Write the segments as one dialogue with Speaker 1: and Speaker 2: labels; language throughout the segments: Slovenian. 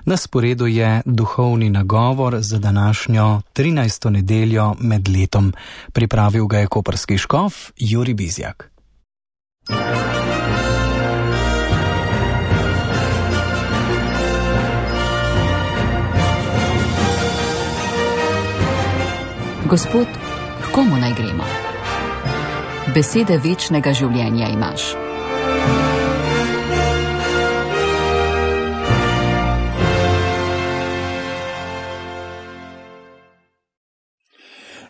Speaker 1: Na sporedu je duhovni nagovor za današnjo 13. nedeljo med letom. Pripravil ga je koprski škof Jurij Bizjak.
Speaker 2: Gospod, h komu naj gremo? Besede večnega življenja imaš.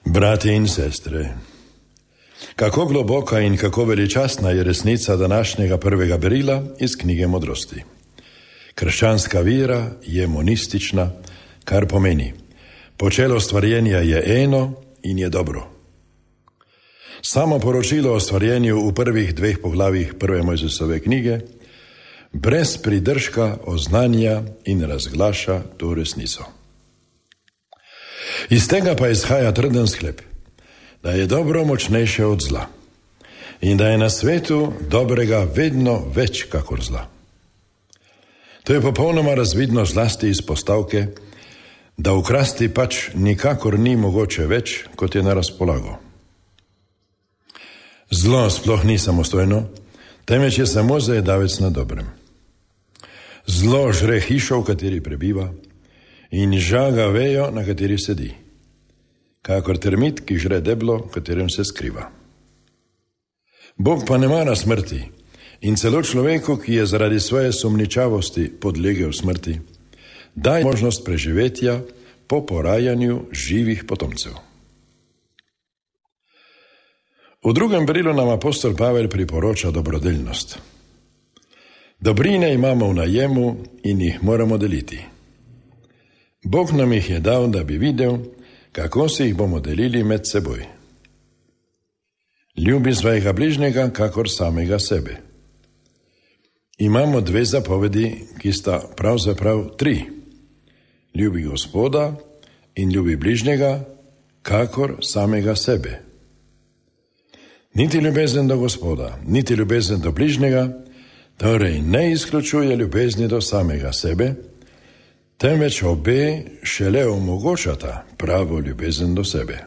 Speaker 3: Brati in sestre, kako globoka in kako veličastna je resnica današnjega prvega berila iz knjige Modrosti. Krščanska vera je monistična, kar pomeni: počelo stvarjenja je eno in je dobro. Samo poročilo o stvarjenju v prvih 2 poglavjih prve Mojzesove knjige brez pridržka oznanja in razglaša to resnico. Iz tega pa izhaja trden sklep, da je dobro močnejše od zla in da je na svetu dobrega vedno več kakor zla. To je popolnoma razvidno zlasti iz postavke, da ukrasti pač nikakor ni mogoče več, kot je na razpolago. Zlo sploh ni samostojno, temveč je samo zajedavec na dobrem. Zlo žre hišo, v kateri prebiva, in žaga vejo, na kateri sedi, kakor termit, ki žre deblo, v katerem se skriva. Bog pa ne mara smrti in celo človeku, ki je zaradi svoje sumničavosti podlegel smrti, daje možnost preživetja po porajanju živih potomcev. V drugem berilu nam apostol Pavel priporoča dobrodelnost. Dobrine imamo v najemu in jih moramo deliti. Bog nam jih je dal, da bi videl, kako si jih bomo delili med seboj. Ljubi svojega bližnjega kakor samega sebe. Imamo 2 zapovedi, ki sta pravzaprav 3. Ljubi Gospoda in ljubi bližnjega kakor samega sebe. Niti ljubezen do Gospoda, niti ljubezen do bližnjega, torej ne izključuje ljubezni do samega sebe, temveč obe šele omogočata pravo ljubezen do sebe.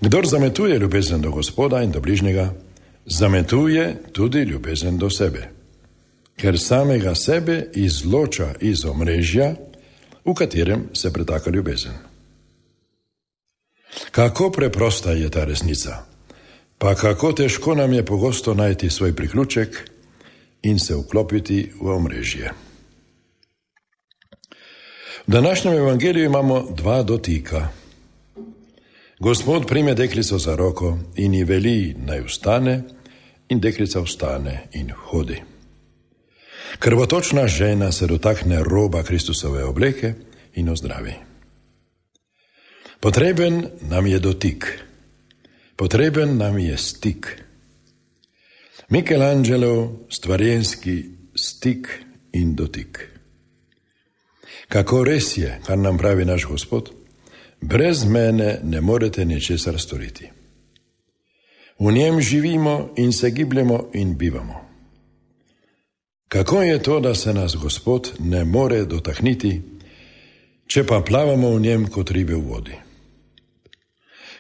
Speaker 3: Kdor zametuje ljubezen do Gospoda in do bližnjega, zametuje tudi ljubezen do sebe, ker samega sebe izloča iz omrežja, v katerem se pretaka ljubezen. Kako preprosta je ta resnica, pa kako težko nam je pogosto najti svoj priključek in se vklopiti v omrežje. V današnjem evangeliju imamo 2 dotika. Gospod prime deklico za roko in ji veli, naj vstane, in deklica vstane in hodi. Krvotočna žena se dotakne roba Kristusove obleke in ozdravi. Potreben nam je dotik, potreben nam je stik. Michelangelo stvarjenski stik in dotik. Kako res je, kar nam pravi naš Gospod, brez mene ne morete ničesar storiti. V njem živimo in se gibljemo in bivamo. Kako je to, da se nas Gospod ne more dotakniti, če pa plavamo v njem kot ribe v vodi?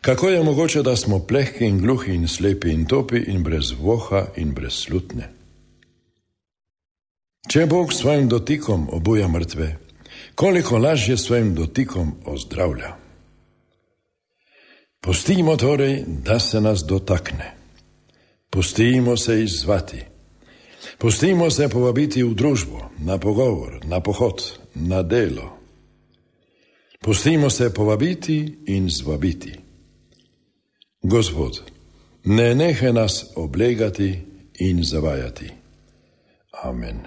Speaker 3: Kako je mogoče, da smo plehki in gluhi in slepi in topi in brez voha in brez slutne? Če Bog svojim dotikom obuja mrtve, koliko lažje svojim dotikom ozdravlja. Pustimo torej, da se nas dotakne. Pustimo se izzvati. Pustimo se povabiti v družbo, na pogovor, na pohod, na delo. Pustimo se povabiti in zvabiti. Gospod, ne nehaj nas oblegati in zavajati. Amen.